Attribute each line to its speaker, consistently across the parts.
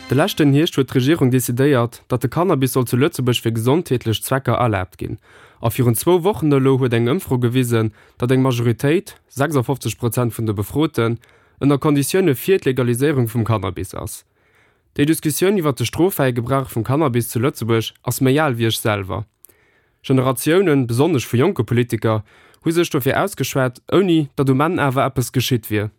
Speaker 1: De leschten Hierscht huet d'Regierung decidéiert, datt de Cannabis soll zu Lëtzebuerg fir gesondheetlech Zwecker erlaabt ginn. A virun zwou Wochen elo huet eng Ëmfro gewisen, datt eng Majoritéit, 56 Prozent vun de Befroten, ënner Konditioune fir d'Legaliséierung vum Cannabis ass. Déi Diskussioun iwwer de stroffräie Gebrauch vum Cannabis zu Lëtzebuerg ass méi al wéi ech selwer. Generatiounen, besonnesch vu jonke Politiker, hu sech dofir ausgeschwat, ouni datt um Enn awer eppes geschitt wier.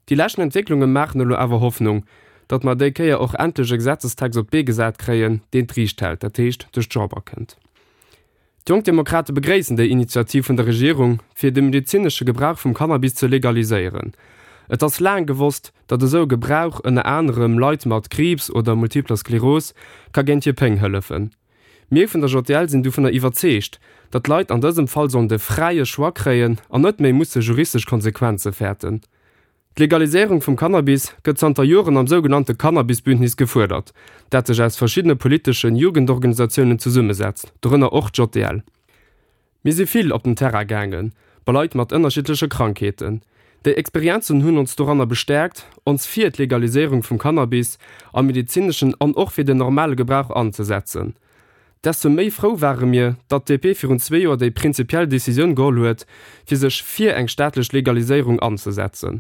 Speaker 1: Déi leschten Entwécklunge maachen elo awer Hoffnung, datt mer déi Kéier och endlech e Gesetzestext op d'Bee gesat kréien, deen d'Riicht hält, dat heescht duerch d'Chamber kënnt. D'Jonk Demokrate begréissen déi Initiativ vun der Regierung, fir de medezinesche Gebrauch vum Cannabis ze legaliséieren. Et ass laang gewosst, datt esou e Gebrauch ënner anerem Leit mat Kriibs oder Multipler Skleros ka géint hir Péng hëllefen. Mir vun der JL sinn dovunner iwwerzeegt, datt d'Leit an dësem Fall sollen de fräie Choix kréien an net méi musse juristesch Konsequenze fäerten. D'Legaliséierung vum Cannabis gëtt zanter Joren am sougenannte Cannabis-Bündnis gefuerdert, dat sech aus verschiddene politeschen Jugendorganisatiounen zesummesetzt, dorënner och d'JL. Mir si vill op den Terrain gaangen, bei Leit mat ënnerschiddleche Krankheeten. Déi Experienzen hunn ons doranner bestäerkt, ons fir d'Legaliséierung vum Cannabis am medezineschen an och fir den normale Gebrauch anzesetzen. Desto méi frou ware mir, datt d'DP virun zwee Joer déi prinzipiell Decisioun geholl huet, fir sech fir eng staatlech Legaliséierung anzesetzen.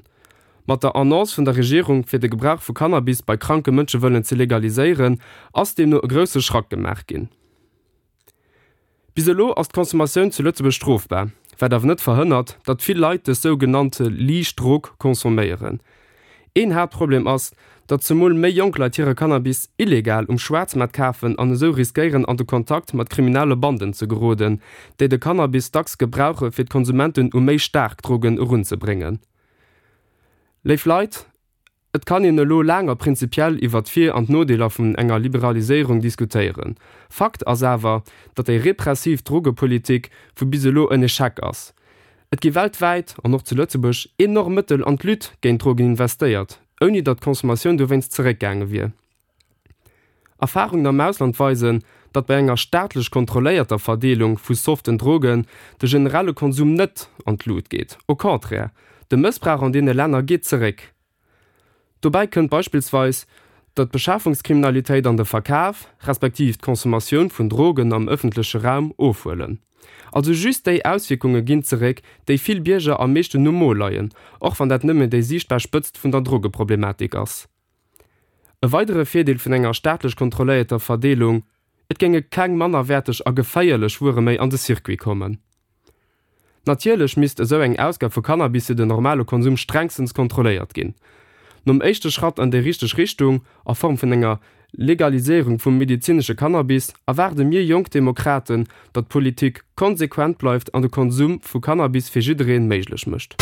Speaker 1: Mat der Annonce vun der Regierung, fir de Gebrauch vu Cannabis bei kranke Mënsche wëllen ze legaliséieren, ass deemno e grousse Schrack gemaach ginn. Bis elo ass d'Consommatioun zu Lëtzebuerg strofbar, wat awer net verhënnert, datt vill Leit dës sougenannte liicht Drog consomméieren. Een Haaptproblem ass, datt zemol méi jonk Leit hire Cannabis illegal um Schwaarzmaart kafen an esou riskéieren an de Kontakt mat kriminelle Banden ze geroden, déi de Cannabis dacks gebrauche fir d'Konsumenten u méi staark Drogen erunzebréngen. Léif Leit, Et kann een elo laang a prinzipiell iwwer d'Vir an d'Nodeeler vun enger Liberaliséierung diskutéieren. Fakt ass awer, datt déi repressiv Drogepolitik vu bis elo en Echec ass. Et gi weltwäit, an och zu Lëtzebuerg, enorm Mëttel an d'Lutte géint d'Drogen investéiert, ouni datt d'Consommatioun dowéinst zeréckgaange wier. Erfarungen am Ausland weisen, datt bei enger staatlech kontrolléierter Verdeelung vu soften Drogen de generelle Konsum net an d'Lut geet. Au contraire, de Mëssbrauch an deene Länner geet zeréck. Dobäi kënnt beispillsweis, datt d'Beschafungskriminalitéit an de Verkaf, respektiv d'Consommatioun vun Drogen am ëffentleche Raum ofhuelen. Also just déi Auswierkunge ginn zeréck, déi vill Bierger am meeschten um Mo leien, och wann dat nëmmen déi siichtbar Spëtzt vun der Drogeproblematik ass. E weidere Virdeel vun enger staatlech kontrolléierter Verdeelung, Et géinge keng mannerwäerteg a geféierlech Wuere méi an de Circuit kommen. Natierlech misst esou eng Ausgab vu Cannabis fir den normale Konsum strengstens kontrolléiert ginn. Nom éischte Schratt an déi richteg Richtung, a Form vun enger Legaliséierung vum medezinesche Cannabis, erwaarde mir Jonk Demokraten, datt d'Politik konsequent bleift an de Konsum vu Cannabis fir jidderee méiglech mécht.